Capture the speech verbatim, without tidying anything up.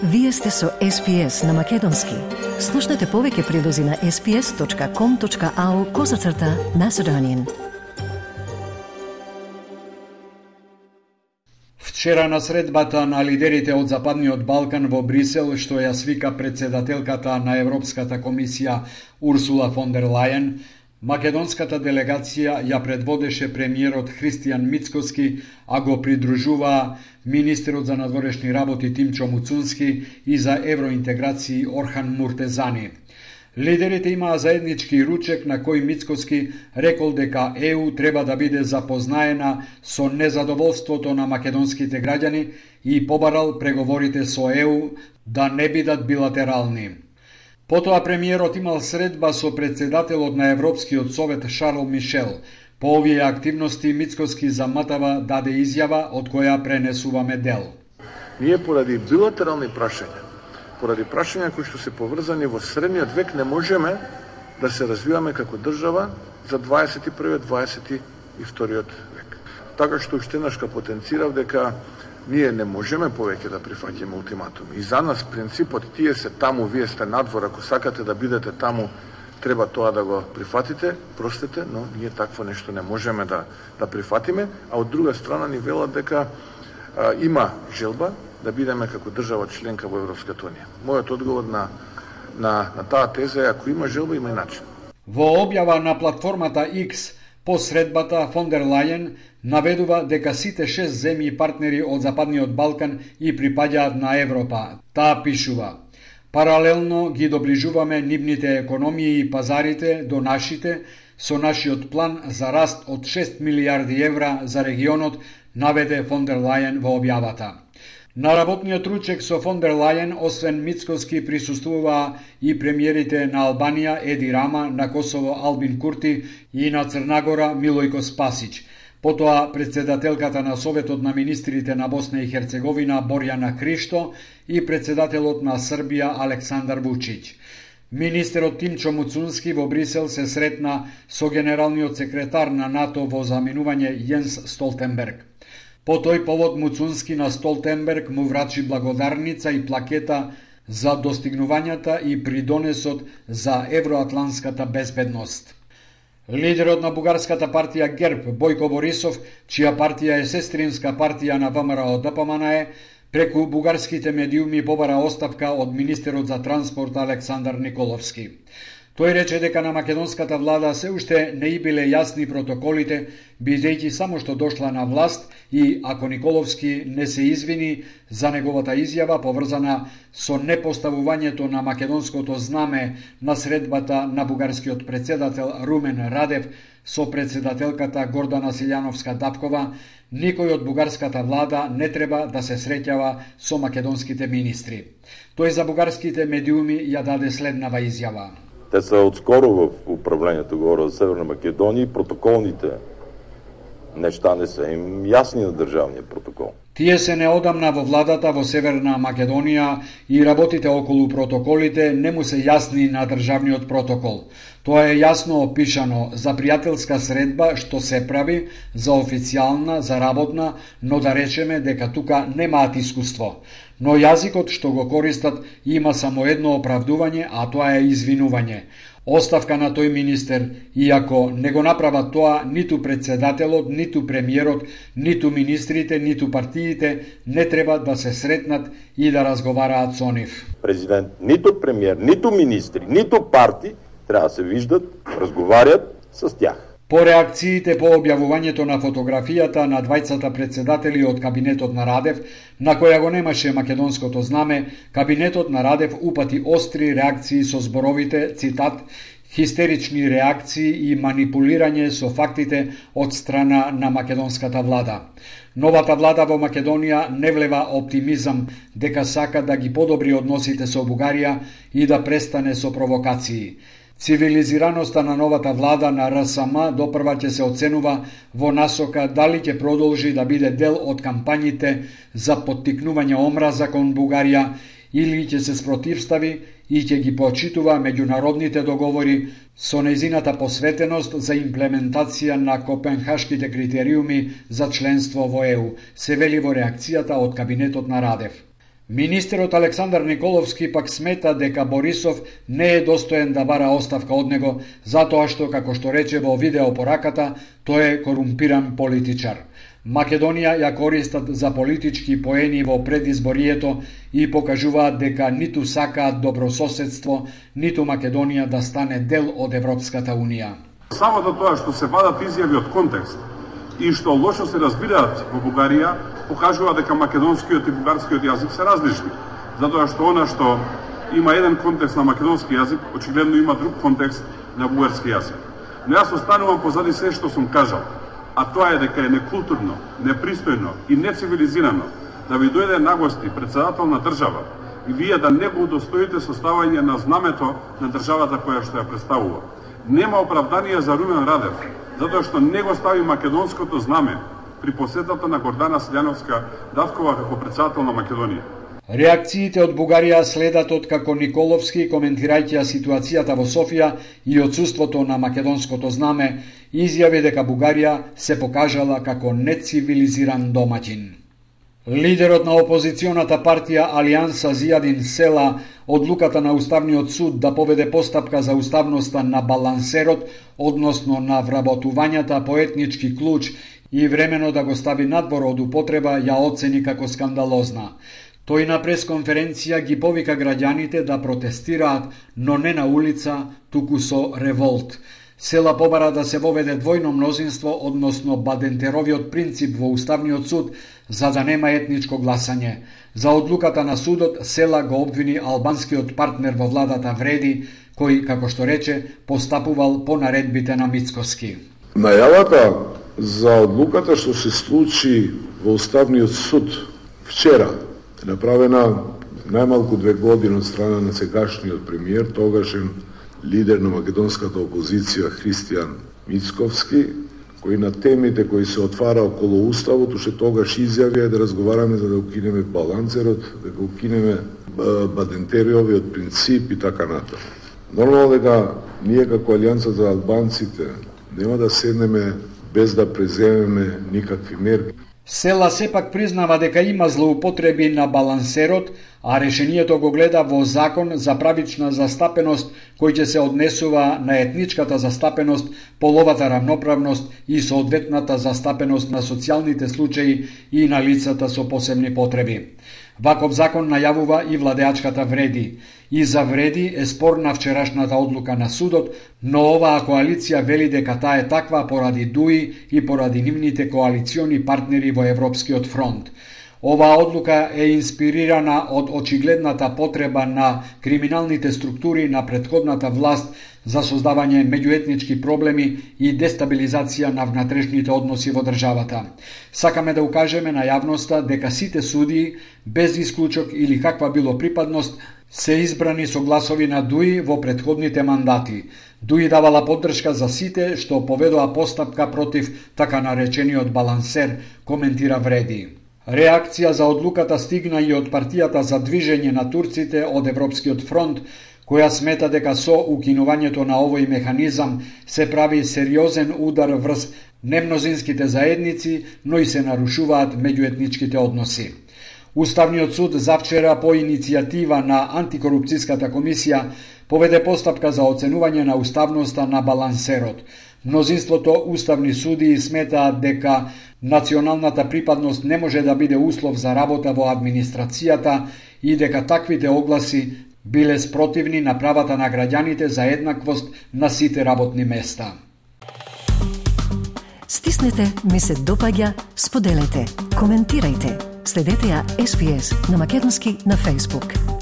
Вие сте со Ес Пи Ес на Македонски. Слушнете повеќе прилози на ес пи ес точка ком точка ау козацрта Macedonian. Вчера на средбата на лидерите од Западниот Балкан во Брисел, што ја свика председателката на Европската комисија Урсула фон дер Лајен, македонската делегација ја предводеше премиерот Христијан Мицкоски, а го придружуваа министерот за надворешни работи Тимчо Муцунски и за евроинтеграции Орхан Муртезани. Лидерите имаа заеднички ручек на кој Мицкоски рекол дека Е У треба да биде запознаена со незадоволството на македонските граѓани и побарал преговорите со Е У да не бидат билатерални. Потоа премиерот имал средба со председателот на Европскиот совет Шарл Мишел. По овие активности Мицкоски заматава даде изјава од која пренесуваме дел. Ние поради билатерални прашања, поради прашања кои што се поврзани во средниот век, не можеме да се развиваме како држава за дваесет и први дваесет и вториот век. Така што уште еднаш потенцирав дека ние не можеме повеќе да прифаќаме ултиматуми. И за нас принципот тие се таму, вие сте надвор, ако сакате да бидете таму, треба тоа да го прифатите, простете, но ние такво нешто не можеме да да прифатиме, а од друга страна ни велат дека а, има желба да бидеме како држава членка во Европската унија. Мојот одговор на на на таа теза е ако има желба, има и начин. Во објава на платформата X по средбата фон дер Лајен наведува дека сите шест земји партнери од Западниот Балкан и припаѓаат на Европа. Таа пишува: паралелно ги доближуваме нивните економии и пазарите до нашите со нашиот план за раст од шест милијарди евра за регионот, наведе фон дер Лајен во објавата. На работниот ручек со фон дер Лајен, освен Мицкоски, присуствуваа и премиерите на Албанија Еди Рама, на Косово Албин Курти и на Црнагора Милојко Спасич. Потоа председателката на Советот на министрите на Босна и Херцеговина Борјана Кристо и председателот на Србија Александар Вучиќ. Министерот Тимчо Муцунски во Брисел се сретна со генералниот секретар на НАТО во заминување Јенс Столтенберг. По тој повод Муцунски на Столтенберг му врачи благодарница и плакета за достигнувањата и придонесот за евроатланската безбедност. Лидерот на бугарската партија ГЕРБ Бојко Борисов, чија партија е сестринска партија на Вэ Ем Ер О Д П М Н Е, преку бугарските медиуми побара оставка од министерот за транспорт Александар Николовски. Тој рече дека на македонската влада се уште не и биле јасни протоколите, бидејќи само што дошла на власт, и ако Николовски не се извини за неговата изјава поврзана со непоставувањето на македонското знаме на средбата на бугарскиот председател Румен Радев со председателката Гордана Силјановска-Дапкова, никој од бугарската влада не треба да се среќава со македонските министри. Тој за бугарските медиуми ја даде следнава изјава. Те са отскоро в управлението, говоря за Северна Македонија, и протоколните нешта не се им јасни на државниот протокол. Тие се неодамна во владата во Северна Македонија и работите околу протоколите не му се јасни на државниот протокол. Тоа е јасно опишано за пријателска средба што се прави, за официјална, за работна, но да речеме дека тука немаат искуство. Но јазикот што го користат има само едно оправдување, а тоа е извинување. Оставка на тој министер, иако не го направат тоа ниту председателот, ниту премиерот, ниту министрите, ниту партиите, не треба да се сретнат и да разговараат со нив. Президент, ниту премиер, ниту министри, ниту парти треба да се виждат, разговарат с тях. По реакциите по објавувањето на фотографијата на двајцата председатели од кабинетот на Радев, на која го немаше македонското знаме, кабинетот на Радев упати остри реакции со зборовите, цитат, хистерични реакции и манипулирање со фактите од страна на македонската влада. Новата влада во Македонија не влева оптимизам дека сака да ги подобри односите со Бугарија и да престане со провокации. Цивилизираноста на новата влада на Р С М допрва ќе се оценува во насока дали ќе продолжи да биде дел од кампањите за поттикнување омраза кон Бугарија или ќе се спротивстави и ќе ги почитува меѓународните договори со нејзината посветеност за имплементација на копенхашките критериуми за членство во Е У, се вели во реакцијата од кабинетот на Радев. Министерот Александар Николовски пак смета дека Борисов не е достоен да бара оставка од него, затоа што, како што рече во видеопораката, тој е корумпиран политичар. Македонија ја користат за политички поени во предизборието и покажуваат дека ниту сакаат добрососедство, ниту Македонија да стане дел од Европската Унија. Самото тоа што се вадат изјави од контекст и што лошо се разбираат во Бугарија, покажува дека македонскиот и бугарскиот јазик се различни. Затоа што она што има еден контекст на македонски јазик, очигледно има друг контекст на бугарски јазик. Но јас останувам позади се што сум кажал, а тоа е дека е некултурно, непристојно и нецивилизирано да ви дојде на гости председател на држава и вие да не го удостоите со ставање на знамето на државата која што ја представува. Нема оправдание за Румен Радев, затоа што не го стави македонското знаме при посетата на Гордана Силјановска-Давкова како председател на Македонија. Реакциите од Бугарија следат од како Николовски, коментирајќи ситуацијата во Софија и отсуството на македонското знаме, изјави дека Бугарија се покажала како нецивилизиран домаќин. Лидерот на опозиционата партија Алијанса Зијадин Села одлуката на Уставниот суд да поведе постапка за уставноста на балансерот, односно на вработувањата по етнички клуч и времено да го стави надвор од употреба, ја оцени како скандалозна. Тој на пресконференција ги повика граѓаните да протестираат, но не на улица, туку со револт. Села побара да се воведе двојно мнозинство, односно Бадентеровиот принцип во Уставниот суд, за да нема етничко гласање. За одлуката на судот, Села го обвини албанскиот партнер во владата Вреди, кој, како што рече, постапувал по наредбите на Мицкоски. Најавата за одлуката што се случи во Уставниот суд вчера, направена најмалку две години од страна на сегашниот премиер, тогашен лидер на македонската опозиција Христијан Мицковски, кој на темите кои се отвара околу уставот, уште тогаш изјави да разговараме за да укинеме балансерот, да го укинеме Бадентериовиот принцип и така натаму. Нормално дека ние како Алијанса за албанците нема да седнеме без да преземеме никакви мерки. Села сепак признава дека има злоупотреби на балансерот, а решението го гледа во закон за правична застапеност кој ќе се однесува на етничката застапеност, половата рамноправност и соодветната застапеност на социјалните случаи и на лицата со посебни потреби. Ваков закон најавува и владеачката Вреди. И за Вреди е спорна вчерашната одлука на судот, но оваа коалиција вели дека таа е таква поради ДУИ и поради нивните коалициони партнери во Европскиот фронт. Оваа одлука е инспирирана од очигледната потреба на криминалните структури на претходната власт за создавање меѓуетнички проблеми и дестабилизација на внатрешните односи во државата. Сакаме да укажеме на јавноста дека сите судии, без исклучок или каква било припадност, се избрани со гласови на ДУИ во претходните мандати. ДУИ давала поддршка за сите што поведоа постапка против така наречениот балансер, коментира Вреди. Реакција за одлуката стигна и од партијата за движење на турците од Европскиот фронт, која смета дека со укинувањето на овој механизам се прави сериозен удар врз немнозинските заедници, но и се нарушуваат меѓуетничките односи. Уставниот суд завчера по иницијатива на антикорупцијската комисија поведе постапка за оценување на уставноста на балансерот. Мнозинството уставни судии сметаат дека националната припадност не може да биде услов за работа во администрацијата и дека таквите огласи биле спротивни на правата на граѓаните за еднаквост на сите работни места. Стиснете, ми се допаѓа, споделете, коментирајте. Следете ја Ес Би Ес на македонски на Facebook.